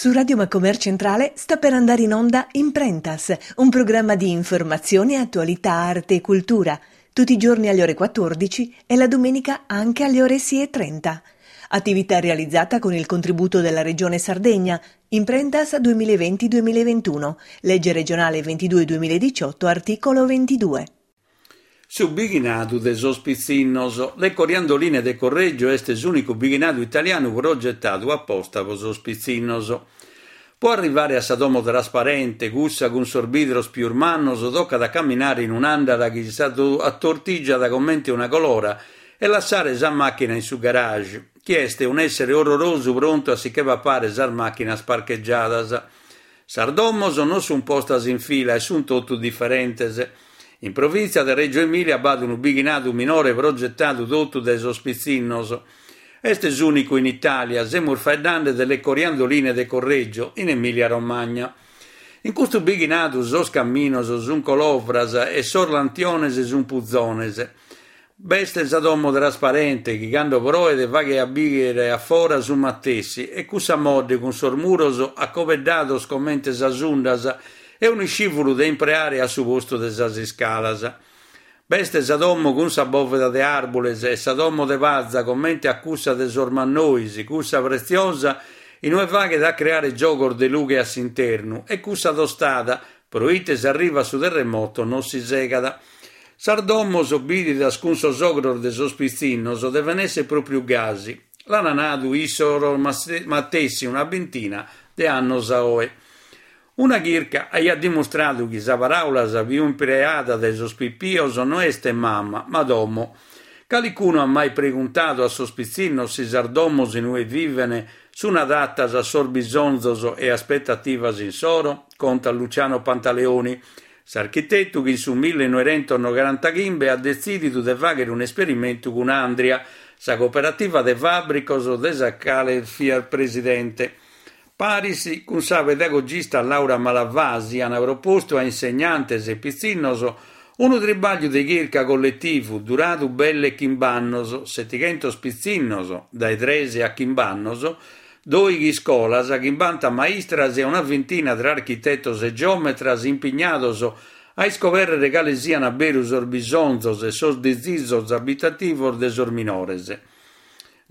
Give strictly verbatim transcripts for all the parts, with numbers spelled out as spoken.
Su Radio Macomer Centrale sta per andare in onda Imprentas, un programma di informazione, attualità, arte e cultura, tutti i giorni alle ore quattordici e la domenica anche alle ore sei e trenta. Attività realizzata con il contributo della Regione Sardegna, Imprentas duemilaventi duemilaventuno, legge regionale ventidue duemiladiciotto, articolo ventidue. Su bighinadu de sos pitzinnos, Le Coriandoline de Correggio est s'ùnicu bighinadu italianu progetadu aposta pro sos pitzinnos. Pro arrivare a sa domo trasparente, cussa cun sos bidros pius mannos, tocat a camminare in un'andala chi s'atortigiat comente una colora e lassare sa màchina in su garage, chi est un'èssere orrorosu prontu a si che papare sas màchinas parcheggiadas. Sas domos non sunt postas in fila e sunt totu diferentes. In provìntzia de Reggio Emilia b'at unu bighinadu minore progetadu totu dae sos pitzinnos. Est s'ùnicu in Itàlia, semus faeddende de Le Coriandoline de Correggio, in Emilia-Romagna. In custu bighinadu sos caminos sunt colovras e sos lantiones sunt puzones. B'est sa domo trasparente chi cando proet faghet a bìdere a fora su matessi e cussa modde cun sos muros acobeddados comente sas undas e un'iscìvulu de impreare a su postu de sas iscalas. B'est sa domo cun sa bòveda de àrbules e sa domo de paza comente a cussa de sos mannois, cussa pretziosa inue faghet a creare giogos de lughe a s'internu e cussa tostada, proite si arrivat su terremoto non si segat. Sas domos bìdidas cun sos ogros de sos pitzinnos deven èssere pròpiu gasi. L'an nadu issos matessi una bintina de annos a oe. Una chirca aiat dimustradu chi sa paràula sa pius impreada dae sos pipios no est mama, ma domo. Calicunu at mai preguntadu a sos pitzinnos si sas domos inue viven sunt adatas a sos bisonzos e aspetativas insoro? Conta Luciano Pantaleoni, s'architetu chi in su millenoighentos at detzìdidu de fàghere un'esperimentu cun Andria, sa cooperativa de fàbricos de sa cale fiat presidente. Paris cun sa pedagogista Laura Malavasi ant propostu a insegnantes e pitzinnos unu tribagliu de chirca colletivu duradu belle chimb'annos, setighentos pitzinnos dae tres a chimb'annos, doighi iscolas, chimbanta maistras e una vintina tra architetos e geometras impignados a iscobèrrere cale sian beru sos bisonzos e sos disizos abitativos de sos minores.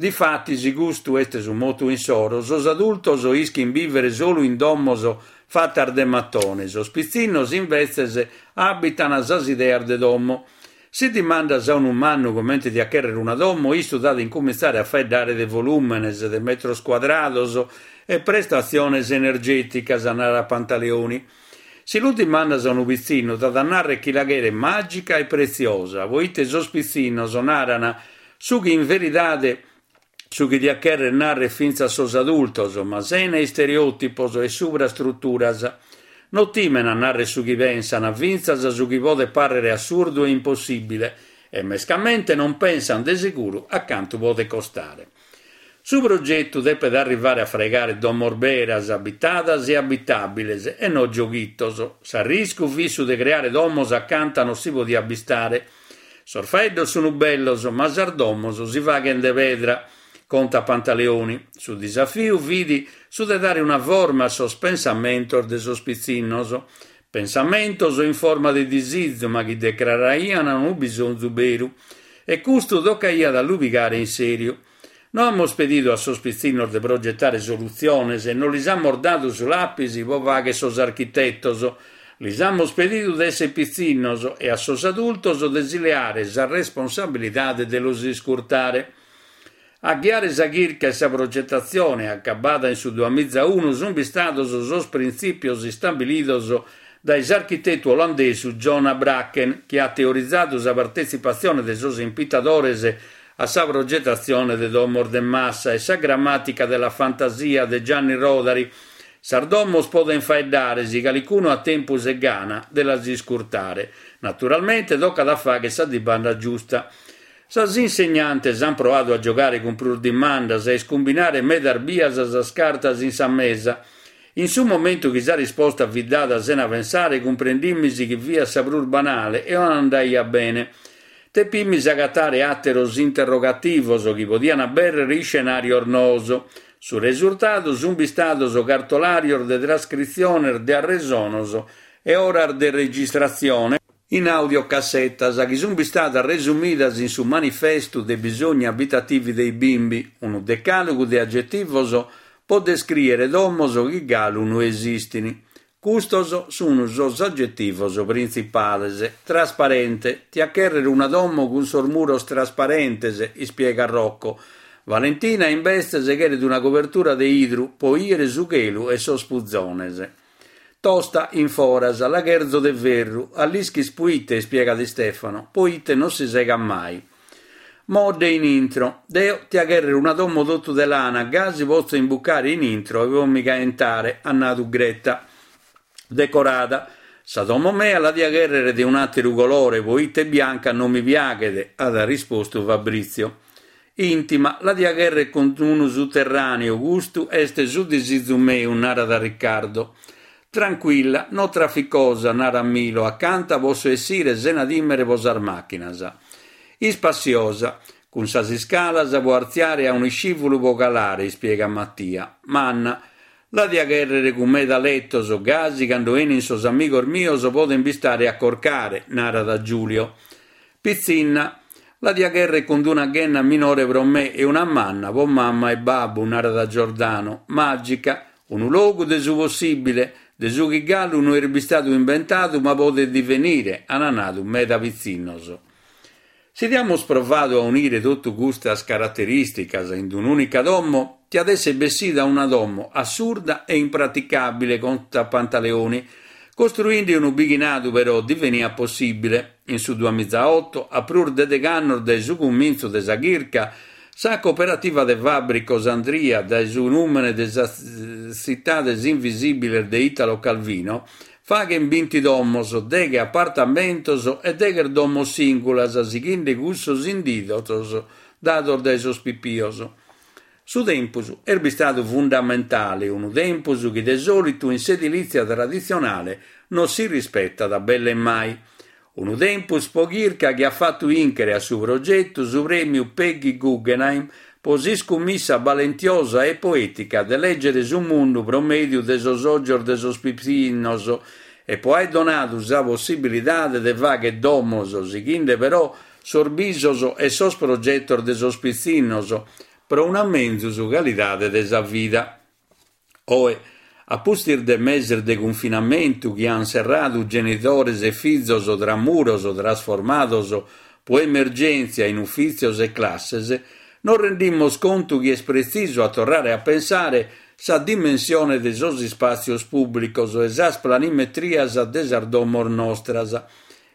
Difatis, custu est su motu insoro, sos adultos ischin bìvere solu in domos fatas de matone, sos pitzinnos imbetzes abitan sas ideas de domo. Si dimandas a unu mannu comente diat chèrrere una domo, issu t'at a incumintzare a faeddare de volùmenes, de metros cuadrados e prestatziones energèticas, narat Pantaleoni. Si lu dimandas a unu pitzinnu, t'at a nàrrere chi la cheret màgica e pretziosa, poite sos pitzinnos naran su chi in veridade su chi diat chèrrere nàrrere fintzas sos adultos, ma sena istereòtipos e subrastruturas. Non timen a nàrrere su chi pensan, fintzas su chi podet pàrrere assurdu e impossìbile, e mescamente non pensan de seguru a cantu podet costare. Su progetu depet arrivare a fraigare domos beras, abitadas e abitàbiles, e no gioghitos. S'arriscu fit su de creare domos acanta non si podiat bistare. Sos faeddos sunt bellos, ma sas domos si faghen de pedra, conta Pantaleoni. Su disafiu fit su de dare una forma a sos pensamentos de sos pitzinnos. Pensamentos in forma de disizu, ma chi declaraian unu bisonzu beru. E custu tocaiat a lu pigare in sèriu. No amus pedidu a sos pitzinnos de progetare solutziones e non lis amus dadu su lapis pro fàghere sos architetos. Lis amus pedidu de èssere pitzinnos e a sos adultos de si leare sa responsabilidade de los iscurtare. A ghiare sa chirca e sa progetatzione, acabada in su duamiza unu, sunt bistados sos printzìpios istabilidos dae s'architetu olandesu John Habraken, chi at teorizadu sa partetzipatzione de sos impitadores a sa progetatzione de domos de massa e sa grammatica della fantasia de Gianni Rodari. Sas domos poden faeddare si calicunu at tempus e gana de las iscurtare. Naturalmente tocat a fàghere sa dimanda giusta. Sas insegnantes ant proadu a giogare cun prus dimandas e a iscumbinare medas bias sas cartas in sa mesa. In su momentu chi sa risposta fit dada sena pensare, cumprendimis chi fiat sa prus banale e non andaiat bene. Tepimis agatare àteros interrogativos chi podian abèrrere iscenàrios noos. Su resurtadu sunt bistados cartolàrios de trascritziones de arresonos e oras de registratzione in audiocassetas chi sunt bistadas resumidas in su Manifestu dei bisogni abitativi dei bimbi, unu decàlogu de agetivos pro descrìere domos chi galu no esistint. Custos sunt sos agetivos printzipales. Trasparente. Tia chèrrere una domo cun sos muros trasparentes, ispiegat Rocco. Valentina, imbetzes, cheret una cobertura de 'idru pro 'ìere su chelu e sos puzones. Tosta in foras, la cherzo de ferru. A l'ischis puite, ispiegat Stefano, poite non si segat mai. Modde in intro. Deo tia chèrrere una domo totu de lana, gasi potzo imbucare in intro e pro mi caentare, at nadu Greta. Decorada. Sa domo mea la tia chèrrere de un'àteru colore, poite bianca non mi piaghet, at rispostu Fabrizio. Intima, la tia chèrrere cun unu suterràneu, custu est su disizu meu, narat Riccardo. Tranquilla, no trafficosa, narat Milo, acanta posso essire sena tìmere pro sas màchinas. Ispassiosa, cun sas iscalas pro artziare e un'iscìvulu pro calare, ispiegat Mattia. Manna, la tia chèrrere cun meda letos, gasi cando 'enin sos amigos mios poden bistare a corcare, narat Giulio. Pitzinna, la tia chèrrere cun una ghenna minore pro me e una manna pro mamma e babbu, narat Giordano. Màgica, unu logu de su possìbile, de su chi galu no est bistadu imbentadu ma podet divenire, an nadu meda pitzinnos. Si diamus provadu a unire totu custas caraterìsticas in un'ùnica domo, tiat èssere bessida una domo assurda e impraticàbile, contat Pantaleoni. Costruende unu bighinadu però diveniat possìbile. In su duamizaoto, a prus de deghe annos dae su cumintzu de sa chirca, sa cooperativa de fàbricos Andria, dae su nùmene de sas tzitades invisìbiles de Italo Calvino, faghen binti domos, deghe apartamentos e deghe domos sìngulas, sighende cussos inditos dados dae sos pipios. Su tempus est bistadu fundamentale, unu tempus chi de sòlitu in s'edilìtzia traditzionale non si rispetat belle mai. Unu tempus pro chirca chi at fatu 'ìnchere a su progetu su prèmiu Peggy Guggenheim pro s'iscummissa balentiosa e poètica de lègere su mundu pro mèdiu de sos ògios de sos pitzinnos e pro aer donadu sa possibilidade de fàghere domos, sighende però sos bisos e sos progetos de sos pitzinnos pro una menzus calidade de sa vida. Oe, a pustis de meses de cunfinamentu chi an serradu genitores e fizos tra muros trasformados pro emergèntzia in ufìtzios e classes, nos rendimus contu chi est pretzisu a torrare a pensare sa dimensione de sos ispàtzios pùblicos e sas planimetrias de sas domos nostras.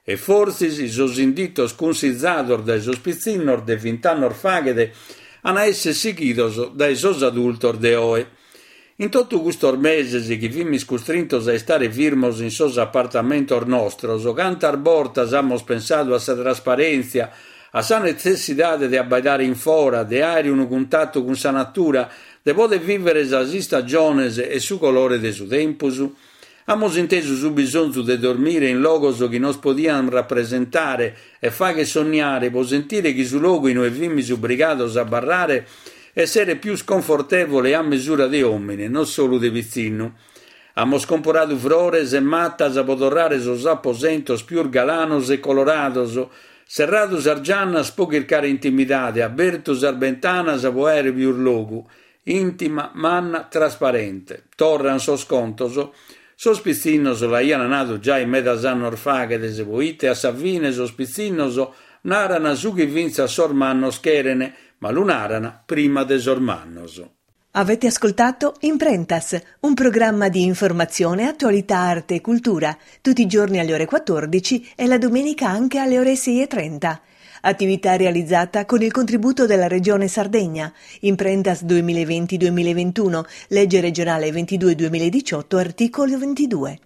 E fortzis sos inditos cunsizados dae sos pitzinnos de vint'annos faghet an a èssere sighidos dae sos adultos de oe. In totu custos meses chi fimis custrintos a istare firmos in sos apartamentos nostros, cantas bortas amus pensadu a sa trasparèntzia, a sa netzessidade de abbaidare in fora, de àere unu cuntatu cun sa natura, de poder vìvere sas istagiones e su colore de su tempus? Amus intesu su bisonzu de dormire in logos chi nos podian rapresentare e fagher sonniare pro sentire chi su logu in ue fimis obrigados a abarrare esseret pius confortèvole e a mesura de òmine, non solu de pitzinnu. Amus comporadu frores e matas pro torrare sos aposentos pius galanos e colorados, serradu sas giannas pro chircare intimidade, abertu sas bentanas pro àere pius logu. Intima, manna, trasparente. Torran sos contos. Sos pitzinnos l'aian nadu giai medas annos faghet, poite a sa fine sos pitzinnos naran su chi fintzas sos mannos cheren, ma lu naran prima de sos mannos. Avete ascoltato Imprentas, un programma di informazione, attualità, arte e cultura, tutti i giorni alle ore quattordici e la domenica anche alle ore sei e trenta. Attività realizzata con il contributo della Regione Sardegna. Imprentas duemilaventi-duemilaventuno, legge regionale ventidue duemiladiciotto, articolo ventidue.